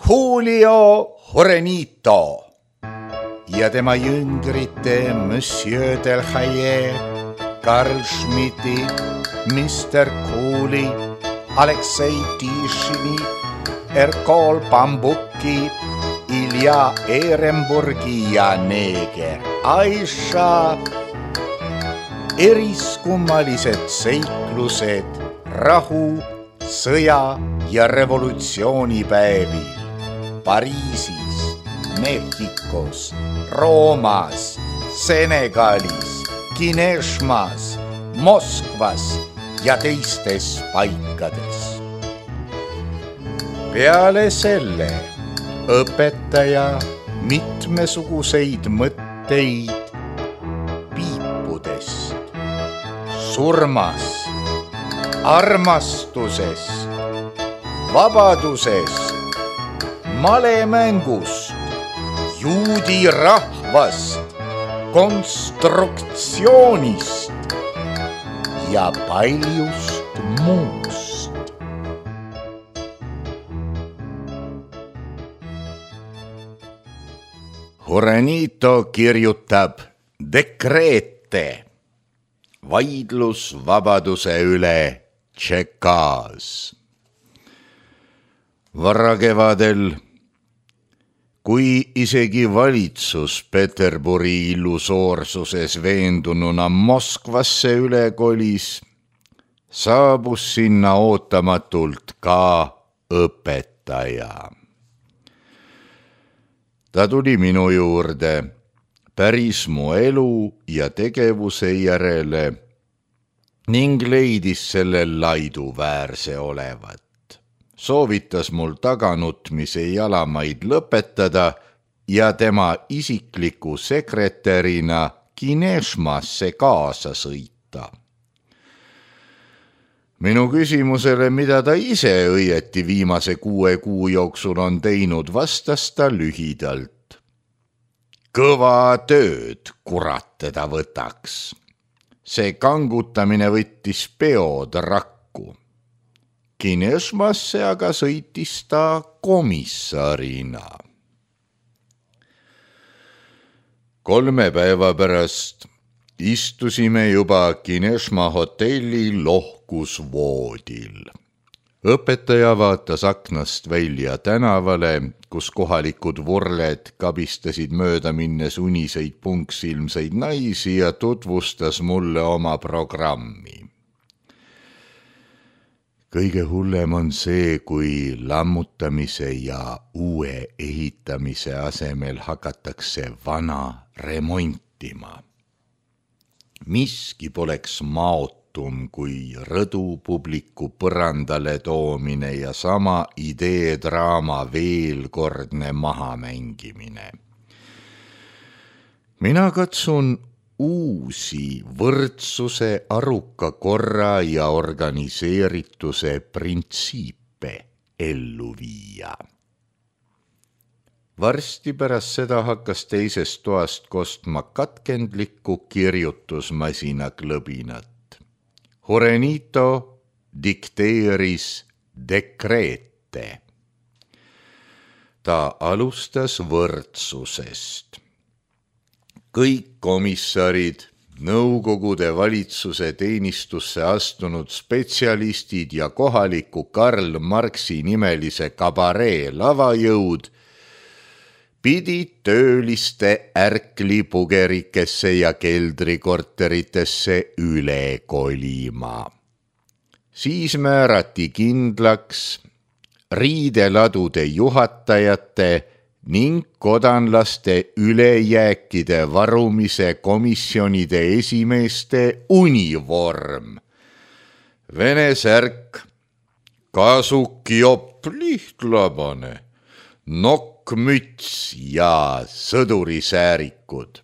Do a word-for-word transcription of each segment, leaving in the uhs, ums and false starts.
Julio Jorenito ja tema jüngrite Monsieur Delhaye, Karl Schmidti, mister Kooli, Aleksei Tišini, Erkol Bambuki, Ilja Ehrenburgi ja Neeger Aisha. Eriskummalised seiklused rahu, sõja ja revolutsioonipäevil Pariisis, Mehhikos, Roomas, Senegalis, Kineshmas, Moskvas ja teistes paikades. Peale selle õpetaja mitmesuguseid mõtteid piipudest, surmast, armastusest, vabadusest, malemängust, juudi rahvast, konstruktsioonist ja paljust muust. Jorenito kirjutab dekreete, vaidlus vabaduse üle Tšekas. Varakevadel, kui isegi valitsus Peterburi illusoorsuses veendununa Moskvasse üle kolis, saabus sinna ootamatult ka õpetaja. Ta tuli minu juurde päris mu elu ja tegevuse järele ning leidis sellel laiduväärse olevat. Soovitas mul taganutmise jalamaid lõpetada ja tema isikliku sekretärina Kineshmasse kaasa sõita. Minu küsimusele, mida ta ise õieti viimase kuue kuu jooksul on teinud, vastas ta lühidalt. Kõva tööd, kurat teda võtaks. See kangutamine võttis peod rakku. Kineshmasse aga sõitis ta komissarina. Kolme päeva pärast istusime juba Kineshma hotelli lohkusvoodil. Õpetaja vaatas aknast välja tänavale, kus kohalikud vurled kabistasid mööda minnes uniseid punksilmseid naisi ja tutvustas mulle oma programmi. Kõige hullem on see, kui lammutamise ja uue ehitamise asemel hakatakse vana remontima. Miski poleks maotum kui rõdupubliku põrandale toomine ja sama ideedraama veelkordne mahamängimine. Mina katsun uusi võrdsuse, aruka korra ja organiseerituse printsiipe ellu viia. Varsti pärast seda hakkas teisest toast kostma katkendlikku kirjutusmasina klõbinat. Jorenito dikteeris dekreete. Ta alustas võrdsusest. Kõik komissarid, nõukogude valitsuse teenistusse astunud spetsialistid ja kohaliku Karl Marxi nimelise kabaree lavajõud pidid tööliste ärklipugerikesse ja keldrikorteritesse üle kolima. Siis määrati kindlaks riideladude juhatajate ning kodanlaste ülejääkide varumise komisjonide esimeeste univorm. Vene särk, kasukjopp lihtlabane, nokkmüts ja sõdurisäärikud.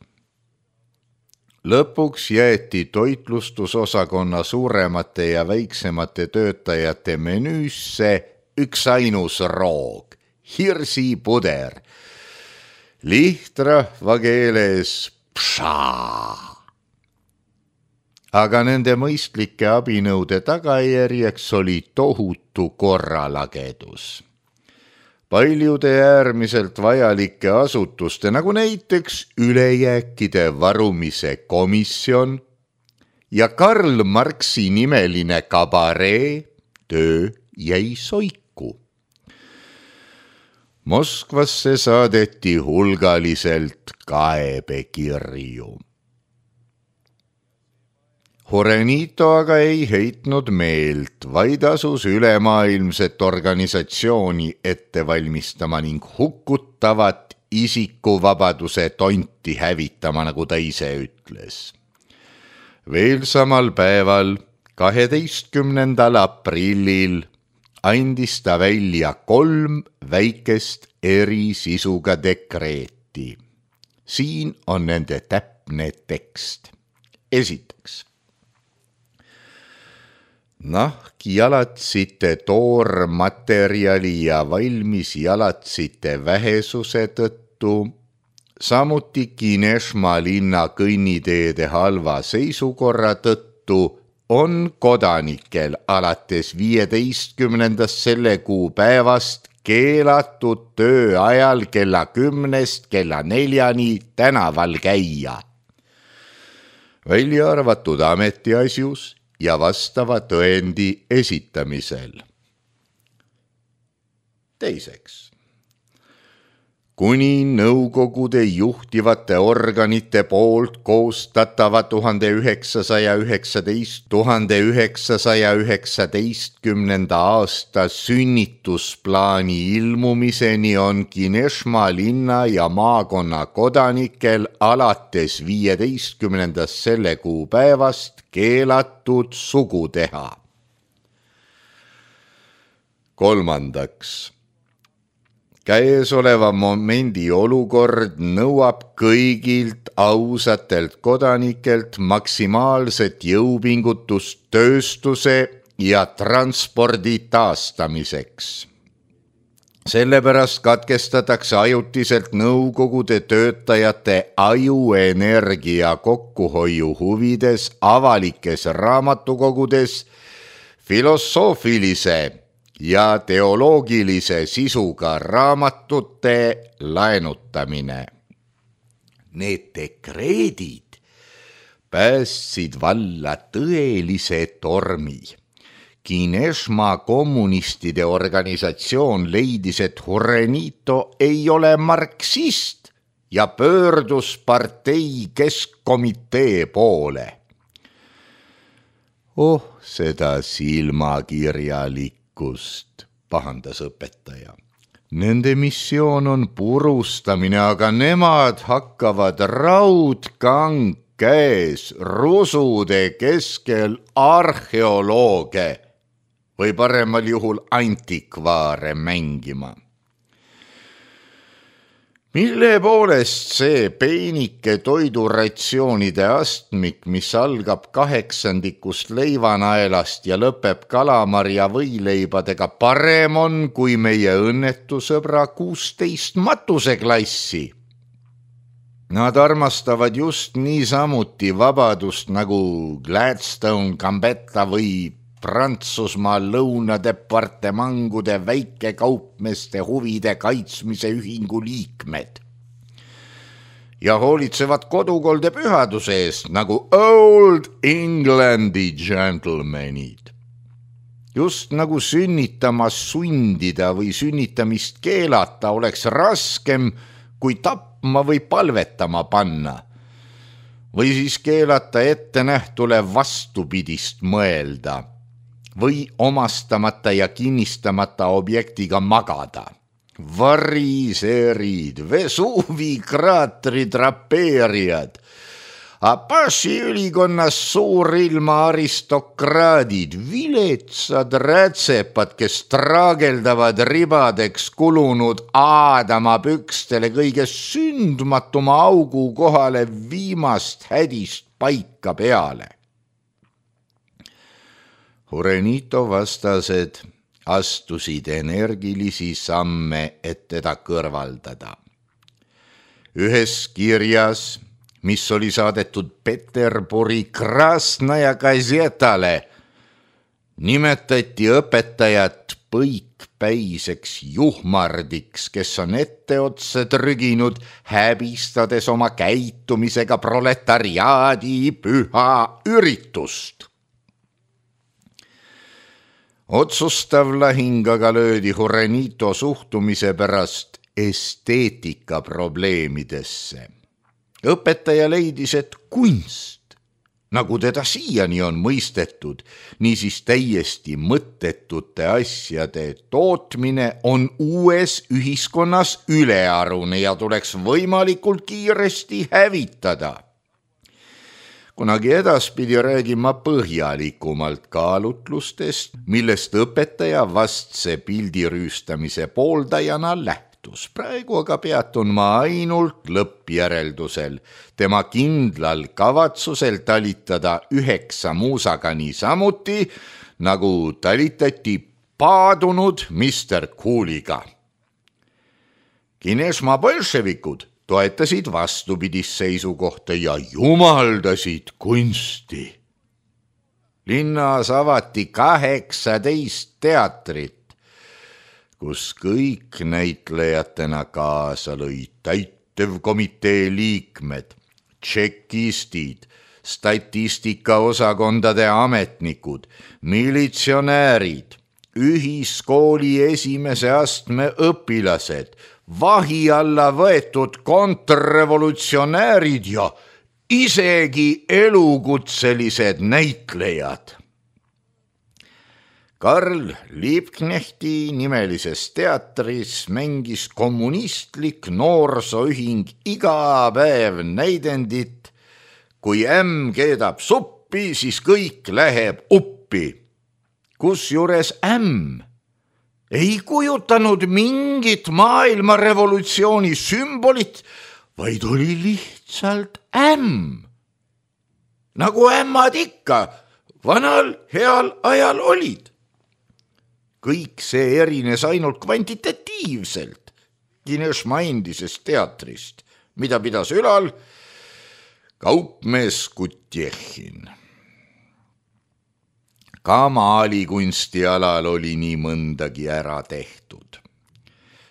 Lõpuks jäeti toitlustusosakonna suuremate ja väiksemate töötajate menüüsse üks ainus roog, hirsipuder, lihtrahva keeles pša. Aga nende mõistlike abinõude tagajärjeks oli tohutu korralagedus. paljude äärmiselt vajalike asutuste, nagu näiteks ülejääkide varumise komisjon ja Karl Marxi nimeline kabaree töö jäi soiku. Moskvasse saadeti hulgaliselt kaebekirju. Horenito aga ei heitnud meelt, vaid asus ülemaailmset organisatsiooni ette valmistama ning hukkutavat isikuvabaduse tonti hävitama, nagu ta ise ütles. Veel samal päeval, kaheteistkümnendal aprillil, andis ta välja kolm väikest eri sisuga dekreeti. Siin on nende täpne tekst. Esiteks. Nahkjalatsite toormaterjali ja valmis jalatsite vähesuse tõttu, samuti Kinešma linna kõnniteede halva seisukorra tõttu on kodanikel alates viieteistkümnendast selle kuu päevast keelatud töö ajal kella kümnest kella neljani tänaval käia, välja arvatud ametiasjus ja vastava tõendi esitamisel. Teiseks. Kuni nõukogude juhtivate organite poolt koostatava tuhande üheksasaja üheksateist tuhande üheksasaja üheksateistkümnenda aasta sünnitusplaani ilmumiseni on Kinešma linna ja maakonna kodanikel alates viieteistkümnendast selle kuu päevast keelatud sugu teha. Kolmandaks. Käesoleva momendi olukord nõuab kõigilt ausatelt kodanikelt maksimaalset jõupingutust tööstuse ja transpordi taastamiseks. Sellepärast katkestatakse ajutiselt nõukogude töötajate ajuenergia kokkuhoiu huvides avalikes raamatukogudes filosoofilise ja teoloogilise sisuga raamatute laenutamine. Need dekreedid päästsid valla tõelise tormi. Kinešma kommunistide organisatsioon leidis, et Horenito ei ole marksist ja pöördus partei keskkomitee poole. Oh, seda silmakirjalik pahandas õpetaja. Nende missioon on purustamine, aga nemad hakkavad raudkang käes rusude keskel arheolooge või paremal juhul antikvaare mängima. Mille poolest see peenike toiduratsioonide astmik, mis algab kaheksandikust leivanaelast ja lõpeb kalamarja võileibadega, parem on kui meie õnnetusõbra kuusteist matuseklassi? Nad armastavad just niisamuti vabadust nagu Gladstone, Gambetta või Prantsusmaa lõunadepartemangude väikekaupmeste huvide kaitsmise ühingu liikmed ja hoolitsevad kodukolde pühaduse eest nagu Old Englandi gentlemanid. Just nagu sünnitamas sundida või sünnitamist keelata oleks raskem kui tapma või palvetama panna või siis keelata ettenähtule vastupidist mõelda või omastamata ja kinnistamata objektiga magada. Variserid, Vesuvi kraatri drapeerijad, Apache ülikonnas suurilma aristokraadid, viletsad rätsepad, kes traageldavad ribadeks kulunud Aadama pükstele kõige sündmatuma augu kohale viimast hädist paika peale. Horenito vastased astusid energilisi samme, et teda kõrvaldada. Ühes kirjas, mis oli saadetud Peterburi Krasnaja gazetale, nimetati õpetajat põikpäiseks juhmardiks, kes on etteotsa trüginud, häbistades oma käitumisega proletariaadi püha üritust. Otsustav lahing aga löödi Jurenito suhtumise pärast esteetika probleemidesse. Õpetaja leidis, et kunst, nagu teda siiani on mõistetud, niisiis täiesti mõttetute asjade tootmine on uues ühiskonnas ülearune ja tuleks võimalikult kiiresti hävitada. Kunagi edaspidi räägima põhjalikumalt kaalutlustest, millest õpetaja vastse pildirüüstamise pooldajana lähtus. Praegu aga peatun ma ainult lõppjäreldusel, tema kindlal kavatsusel talitada üheksa muusaga niisamuti, nagu talitati paadunud mister Cooliga. Kinesmaa bolševikud toetasid vastupidist seisukohta ja jumaldasid kunsti. Linnas avati kaheksateist teatrit, kus kõik näitlejatena kaasa lõid täitevkomitee liikmed, tšekistid, statistikaosakondade ametnikud, militsionäärid, ühiskooli esimese astme õpilased, vahi alla võetud kontrrevolutsionäärid ja isegi elukutselised näitlejad. Karl Liebknechti nimelises teatris mängis kommunistlik noorsooühing iga päev näidendit. Kui ämm keedab suppi, siis kõik läheb uppi. Kusjuures ämm ei kujutanud mingit maailmarevolutsiooni sümbolit, vaid oli lihtsalt ämm. Nagu ämmad ikka vanal heal ajal olid. Kõik see erines ainult kvantitatiivselt Kinesmaa endisest teatrist, mida pidas ülal kaupmees Kutjehhin. Ka maalikunsti alal oli nii mõndagi ära tehtud.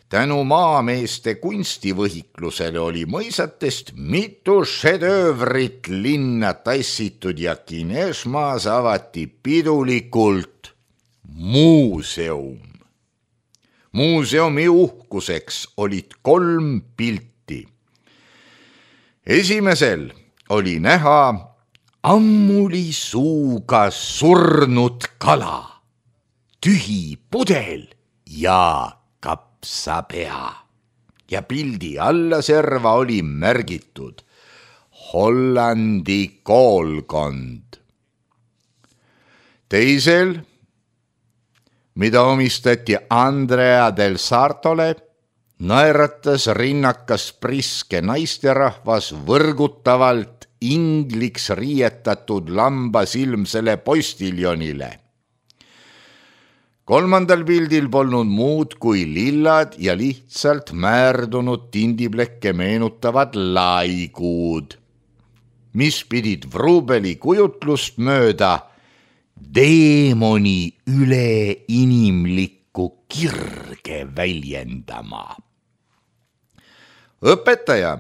Tänu maameeste kunstivõhiklusele oli mõisatest mitu šedöövrit linna tassitud ja Kinesmaas avati pidulikult muuseum. Muuseumi uhkuseks olid kolm pilti. Esimesel oli näha ammuli suuga surnud kala, tühi pudel ja kapsapea. Ja pildi alla serva oli märgitud Hollandi koolkond. Teisel, mida omistati Andrea del Sartole, naeratas rinnakas priske naisterahvas võrgutavalt ingliks riietatud lambasilmsele postiljonile. Kolmandal pildil polnud muud kui lillad ja lihtsalt määrdunud tindiplekke meenutavad laiguud, mis pidid Vrubeli kujutlust mööda deemoni üleinimlikku kirge väljendama. Õpetaja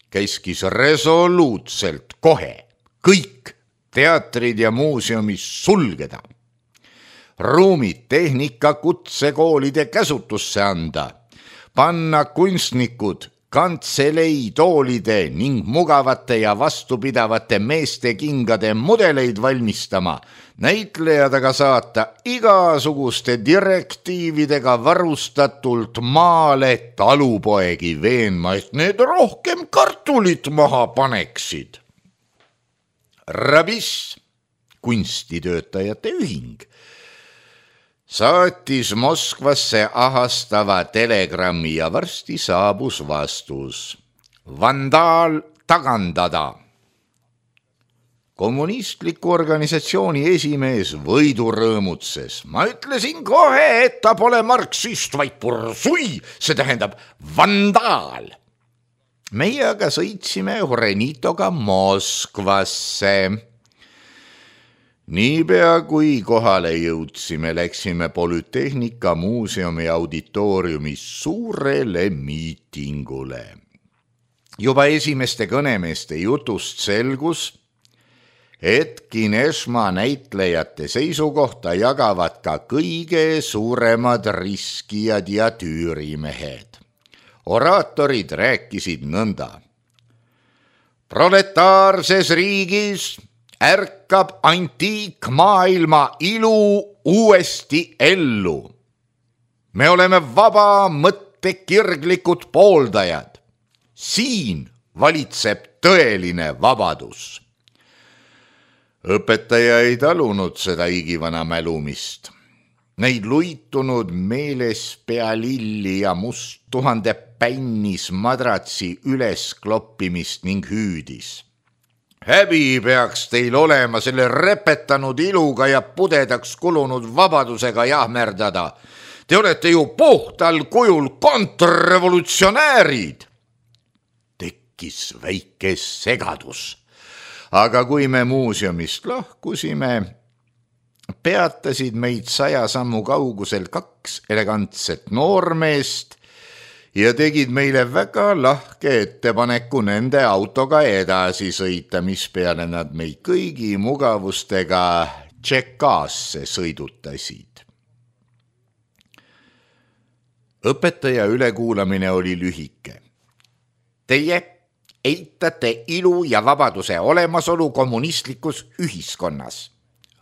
käiskis resoluutselt kohe kõik teatrid ja muuseumis sulgeda, ruumid tehnika kutsekoolide käsutusse anda, panna kunstnikud kantselei toolide ning mugavate ja vastupidavate meeste kingade mudeleid valmistama, näitlejad aga saata igasuguste direktiividega varustatult maale talupoegi veenma, et need rohkem kartulit maha paneksid. Rabis, kunstitöötajate ühing, saatis Moskvasse ahastava telegrammi ja varsti saabus vastus. Vandaal tagandada. Kommunistliku organisatsiooni esimees võidu rõõmutses. Ma ütlesin kohe, et ta pole marksist, vaid pursui, see tähendab vandaal. Meie aga sõitsime Jurenitoga Moskvasse. Niipea kui kohale jõudsime, läksime Polütehnika muuseumi auditooriumis suurele miitingule. Juba esimeste kõnemeeste jutust selgus, et Kineshma näitlejate seisukohta jagavad ka kõige suuremad riskijad ja tüürimehed. Oraatorid rääkisid nõnda. Proletaarses riigis ärkab antiikmaailma ilu uuesti ellu. Me oleme vaba mõttekirglikud pooldajad. Siin valitseb tõeline vabadus. Õpetaja ei talunud seda igivana mälumist. Neid luitunud meeles pea lilli ja must tuhande pännis madratsi üles kloppimist ning hüüdis. Häbi peaks teil olema selle repetanud iluga ja pudedaks kulunud vabadusega jahmerdada. Te olete ju puhtal kujul kontrrevolutsionäärid. Tekkis väike segadus. Aga kui me muuseumist lahkusime, peatasid meid saja sammu kaugusel kaks elegantset noormeest ja tegid meile väga lahke ettepaneku nende autoga edasi sõita, mis peale nad meid kõigi mugavustega Tšekaasse sõidutasid. Õpetaja ülekuulamine oli lühike. Teie eitate ilu ja vabaduse olemasolu kommunistlikus ühiskonnas.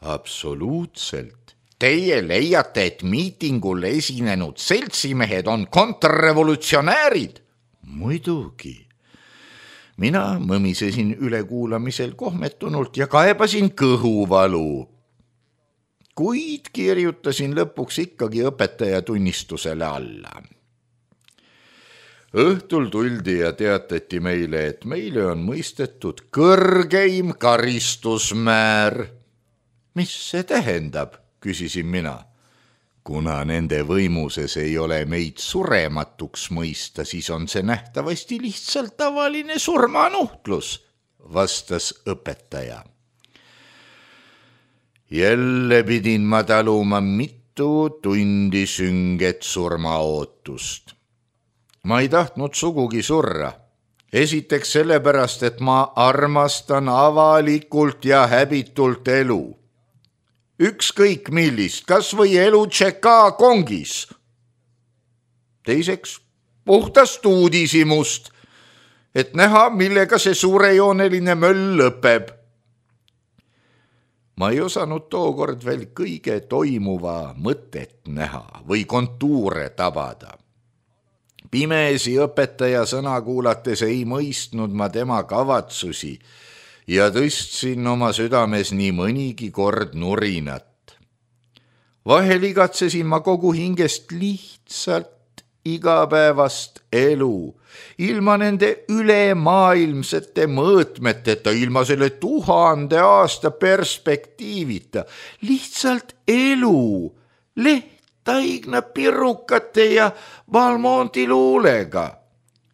Absoluutselt. Teie leiate, et miitingul esinenud seltsimehed on kontrrevolutsionäärid? Muidugi. Mina mõmisesin ülekuulamisel kohmetunult ja kaebasin kõhuvalu. Kuid kirjutasin lõpuks ikkagi õpetaja tunnistusele alla. Õhtul tuldi ja teatati meile, et meile on mõistetud kõrgeim karistusmäär. Mis see tähendab? Küsisin mina. Kuna nende võimuses ei ole meid surematuks mõista, siis on see nähtavasti lihtsalt tavaline surmanuhtlus, vastas õpetaja. Jälle pidin ma taluma mitu tundi sünget surmaootust. Ma ei tahtnud sugugi surra. Esiteks sellepärast, et ma armastan avalikult ja häbitult elu. Ükskõik millist, kas või elu Tšekaa kongis. Teiseks, puhtast uudishimust, et näha, millega see suurejooneline möll lõpeb. Ma ei osanud tookord veel kõige toimuva mõtet näha või kontuure tabada. Pimesi õpetaja sõna kuulates ei mõistnud ma tema kavatsusi ja tõstsin oma südames nii mõnigi kord nurinat. Vahel igatsesin ma kogu hingest lihtsalt igapäevast elu, ilma nende ülemaailmsete mõõtmeteta, ilma selle tuhande aasta perspektiivita, lihtsalt elu, lehtaigna pirukate ja Balmonti luulega.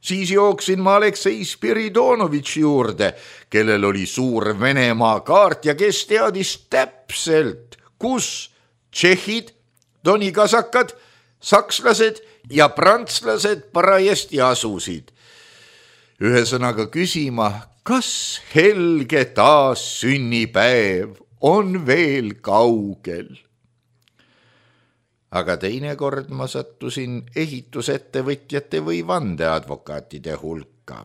Siis jooksin ma Aleksei Spiridonovitši juurde, kellel oli suur Venemaa kaart ja kes teadis täpselt, kus tšehhid, donikasakad, sakslased ja prantslased parajasti asusid. Ühesõnaga küsima, kas helge taas sünnipäev on veel kaugel. Aga teinekord ma sattusin ehitusettevõtjate või vandeadvokaatide hulka,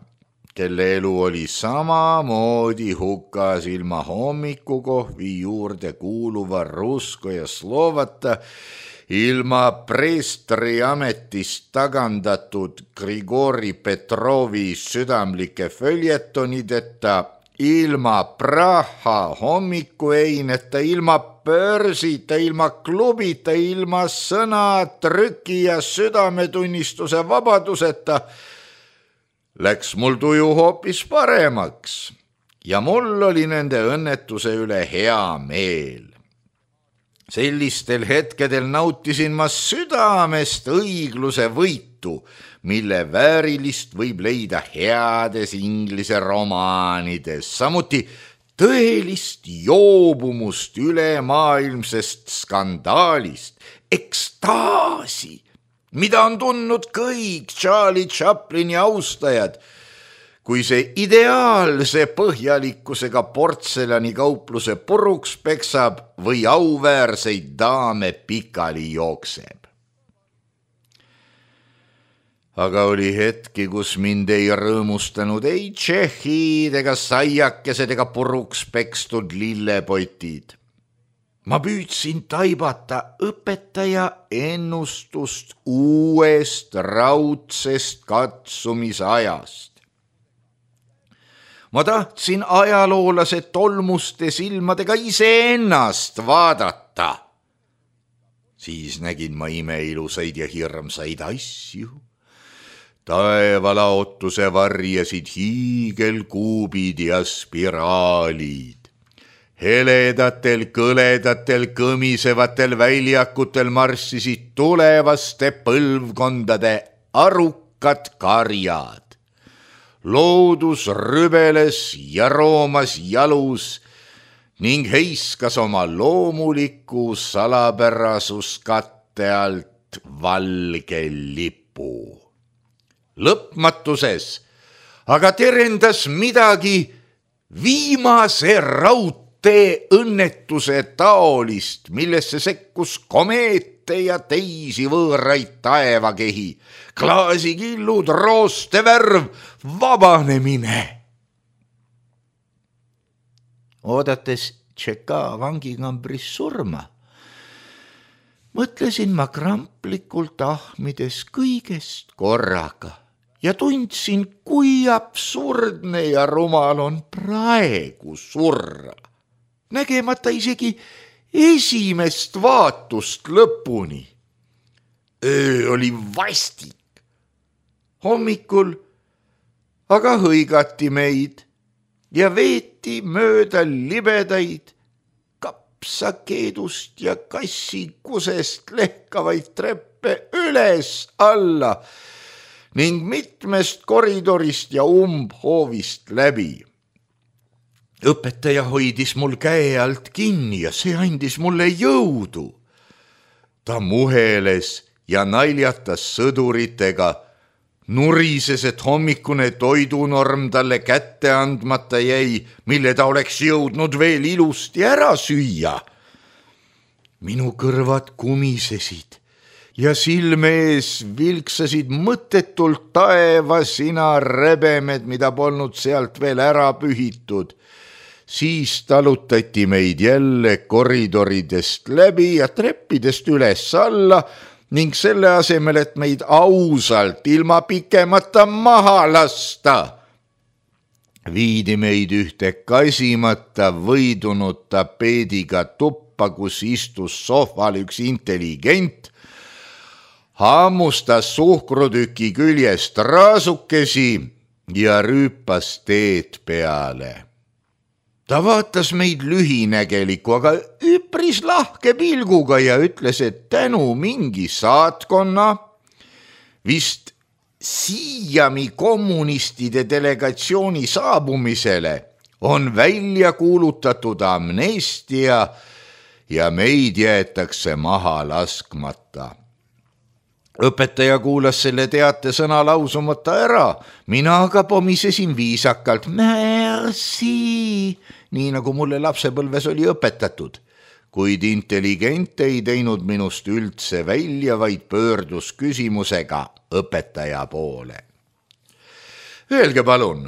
kelle elu oli samamoodi hukas ilma hommikukohvi juurde kuuluva Rusko ja Slovata, ilma preestri ametist tagandatud Grigori Petrovi südamlike följetonideta, ilma Praha hommikueineta, ilma börsita, ilma klubita, ilma sõna, trüki ja südametunnistuse vabaduseta, läks mul tuju hoopis paremaks ja mul oli nende õnnetuse üle hea meel. Sellistel hetkedel nautisin ma südamest õigluse võitu, mille väärilist võib leida heades inglise romaanides, samuti tõelist joobumust ülemaailmsest skandaalist, ekstaasi, mida on tundnud kõik Charlie Chaplini austajad, kui see ideaalse põhjalikkusega portsellanikaupluse puruks peksab või auväärseid daame pikali jookseb. Aga oli hetki, kus mind ei rõõmustanud ei tšehhid ega saiakesed ega puruks pekstud lillepotid. Ma püüdsin taibata õpetaja ennustust uuest raudsest katsumisajast. Ma tahtsin ajaloolase tolmuste silmadega iseennast vaadata. Siis nägin ma imeilusaid ja hirmsaid asju. Taevalaotuse varjasid hiigelkuubid ja spiraalid. Heledatel, kõledatel, kõmisevatel väljakutel marssisid tulevaste põlvkondade arukad karjad. Loodus rübeles ja roomas jalus ning heiskas oma loomuliku salapärasuskatte alt valge lipu. Lõpmatuses aga terendas midagi viimase raudtee õnnetuse taolist, millesse sekkus komeete ja teisi võõraid taevakehi, klaasikillud, roostevärv, vabanemine. Oodates Tšeka vangikambris surma, mõtlesin ma kramplikult ahmides kõigest korraga ja tundsin, kui absurdne ja rumal on praegu surra, nägemata isegi esimest vaatust lõpuni. Öö oli vastik. Hommikul aga hõigati meid ja veeti mööda libedaid kapsakeedust ja kassikusest lehkavaid treppe üles alla ning mitmest koridorist ja umbhoovist läbi. Õpetaja hoidis mul käe alt kinni ja see andis mulle jõudu. Ta muheles ja naljatas sõduritega, nurises, et hommikune toidunorm talle kätte andmata jäi, mille ta oleks jõudnud veel ilusti ära süüa. Minu kõrvad kumisesid ja silme ees vilksasid mõttetult taevasina rebemed, mida polnud sealt veel ära pühitud. Siis talutati meid jälle koridoridest läbi ja treppidest üles alla ning selle asemel, et meid ausalt ilma pikemata maha lasta, viidi meid ühte kasimata võidunud tapeediga tuppa, kus istus sohval üks intelligent, hammustas suhkrutüki küljest raasukesi ja rüüpas teed peale. Ta vaatas meid lühinägeliku, aga üpris lahke pilguga ja ütles, et tänu mingi saatkonna, vist Siiami kommunistide delegatsiooni saabumisele on välja kuulutatud amnestia ja meid jäetakse maha laskmata. Õpetaja kuulas selle teate sõna lausumata ära, mina aga pomisesin viisakalt merci, nii nagu mulle lapsepõlves oli õpetatud, kuid intelligent ei teinud minust üldse välja, vaid pöördus küsimusega õpetaja poole. Öelge palun,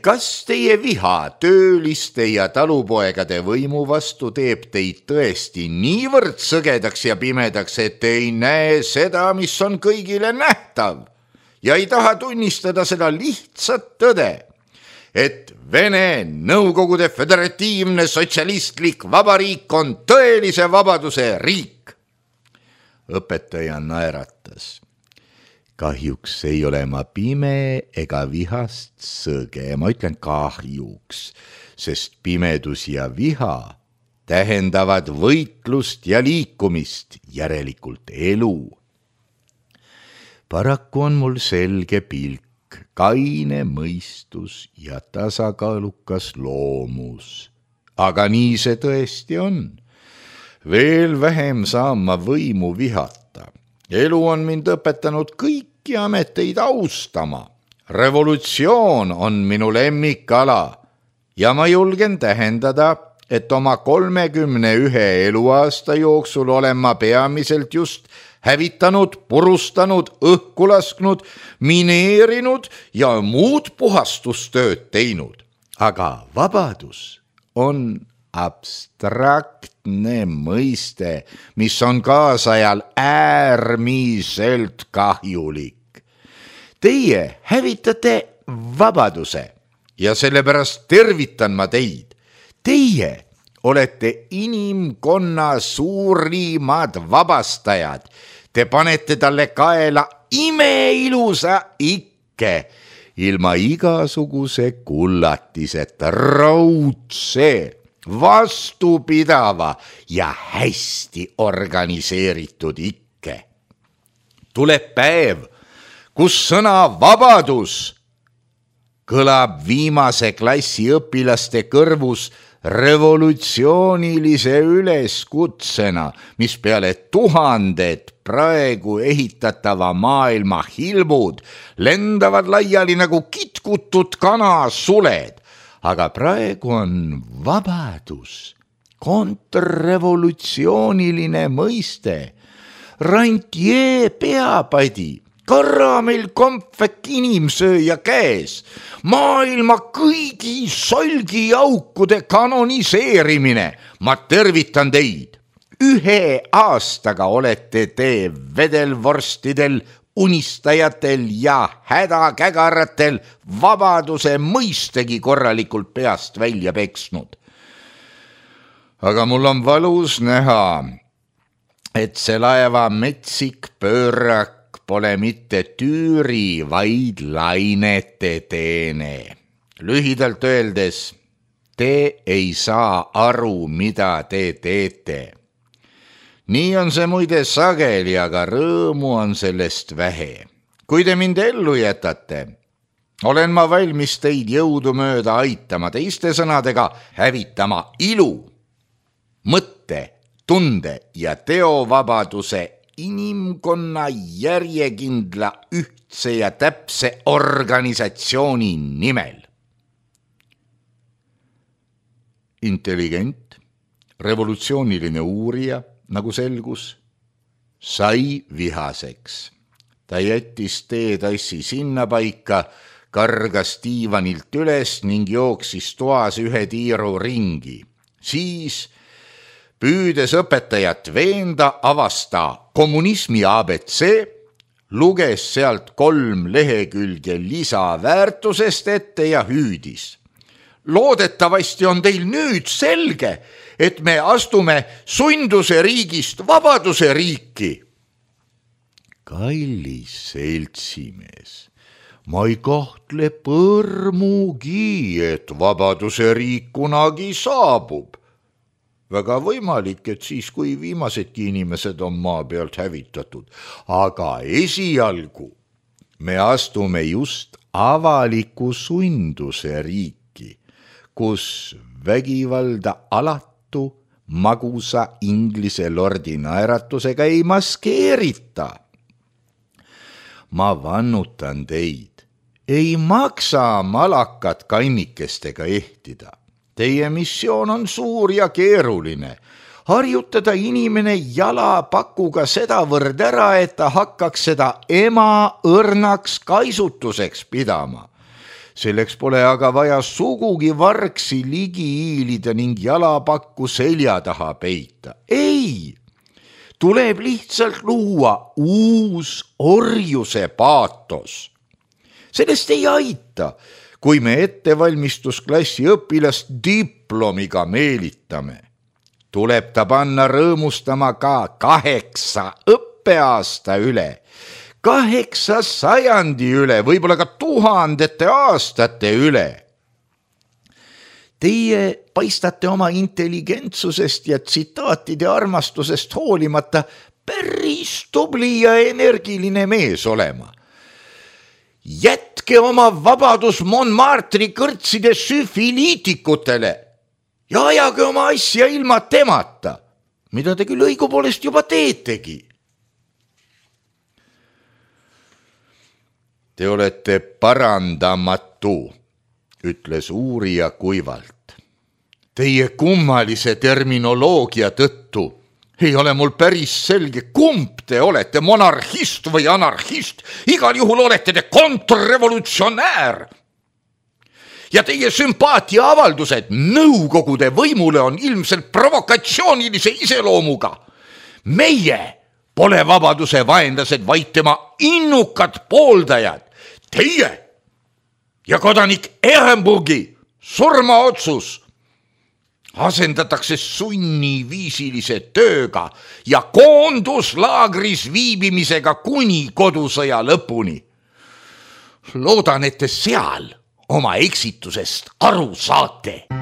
kas teie viha tööliste ja talupoegade võimu vastu teeb teid tõesti niivõrd sõgedaks ja pimedaks, et te ei näe seda, mis on kõigile nähtav ja ei taha tunnistada seda lihtsat tõde, et Vene Nõukogude Föderatiivne Sotsialistlik Vabariik on tõelise vabaduse riik? Õpetaja naeratas. Kahjuks ei ole ma pime ega vihast sõge, ma ütlen kahjuks, sest pimedus ja viha tähendavad võitlust ja liikumist, järelikult elu. Paraku on mul selge pilk kaine mõistus ja tasakaalukas loomus. Aga nii see tõesti on. Veel vähem saan ma võimu vihata. Elu on mind õpetanud kõiki ameteid austama. Revolutsioon on minu lemmikala ja ma julgen tähendada, et oma kolmekümne ühe eluaasta jooksul olen ma peamiselt just hävitanud, purustanud, õhku lasknud, mineerinud ja muud puhastustööd teinud. Aga vabadus on abstraktne mõiste, mis on kaasajal äärmiselt kahjulik. Teie hävitate vabaduse ja sellepärast tervitan ma teid. Teie olete inimkonna suurimad vabastajad. Te panete talle kaela imeilusa ikke, ilma igasuguse kullatiseta, raudse, vastupidava ja hästi organiseeritud ikke. Tuleb päev, kus sõna vabadus kõlab viimase klassi õpilaste kõrvus revolutsioonilise üleskutsena, mis peale tuhanded praegu ehitatava maailma hilbud lendavad laiali nagu kitkutud kanasuled. Aga praegu on vabadus, kontrrevolutsiooniline mõiste, rantjee peapadi, karamell kompvek inimsööja käes, maailma kõigi solgiaukude kanoniseerimine. Ma tervitan teid. Ühe aastaga olete te vedelvorstidel, unistajatel ja hädakägaratel vabaduse mõistegi korralikult peast välja peksnud. Aga mul on valus näha, et see laeva metsik pöörak pole mitte tüüri, vaid lainete teene. Lühidalt öeldes, te ei saa aru, mida te teete. Nii on see muide sageli, aga rõõmu on sellest vähe. Kui te mind ellu jätate, olen ma valmis teid jõudumööda aitama, teiste sõnadega hävitama ilu, mõtte, tunde ja teovabaduse inimkonna järjekindla, ühtse ja täpse organisatsiooni nimel. Intelligent, revolutsiooniline uurija, nagu selgus, sai vihaseks. Ta jättis teetassi sinna paika, kargas diivanilt üles ning jooksis toas ühe tiiru ringi. Siis püüdes õpetajat veenda, avasta kommunismi A B C, luges sealt kolm lehekülge lisaväärtusest ette ja hüüdis. Loodetavasti on teil nüüd selge, et me astume sunduse riigist vabaduse riiki. Kallis seltsimees, ma ei kahtle põrmugi, et vabaduse riik kunagi saabub. Väga võimalik, et siis, kui viimasedki inimesed on maa pealt hävitatud. Aga esialgu me astume just avaliku sunduse riiki, kus vägivalda alatu magusa inglise lordi naeratusega ei maskeerita. Ma vannutan teid, ei maksa malakat kannikestega ehtida. Teie missioon on suur ja keeruline. Harjutada inimene jalapakuga sedavõrd ära, et ta hakkaks seda ema õrnaks kaisutuseks pidama. Selleks pole aga vaja sugugi vargsi ligi hiilida ning jalapakku selja taha peita. Ei, tuleb lihtsalt luua uus orjuse paatos. Sellest ei aita, kui me ettevalmistusklassi õpilast diplomiga meelitame. Tuleb ta panna rõõmustama ka kaheksa õppeaasta üle, kaheksa sajandi üle, võib-olla ka tuhandete aastate üle. Teie paistate oma intelligentsusest ja tsitaatide armastusest hoolimata päris tubli ja energiline mees olema. jätke oma vabadus Montmartre'i kõrtside süfiliitikutele ja ajage oma asja ilma temata, mida te küll õigupoolest juba teetegi. Te olete parandamatu, ütles uurija kuivalt. Teie kummalise terminoloogia tõttu ei ole mul päris selge, kumb te olete, monarhist või anarhist. Igal juhul olete te kontrrevolutsionäär. Ja teie sümpaatia avaldused nõukogude võimule on ilmselt provokatsioonilise iseloomuga. Meie pole vabaduse vaenlased, vaid tema innukad pooldajad. Teie ja kodanik Ehrenburgi surmaotsus asendatakse sunniviisilise tööga ja koonduslaagris viibimisega kuni kodusõja lõpuni. Loodan, et te seal oma eksitusest aru saate.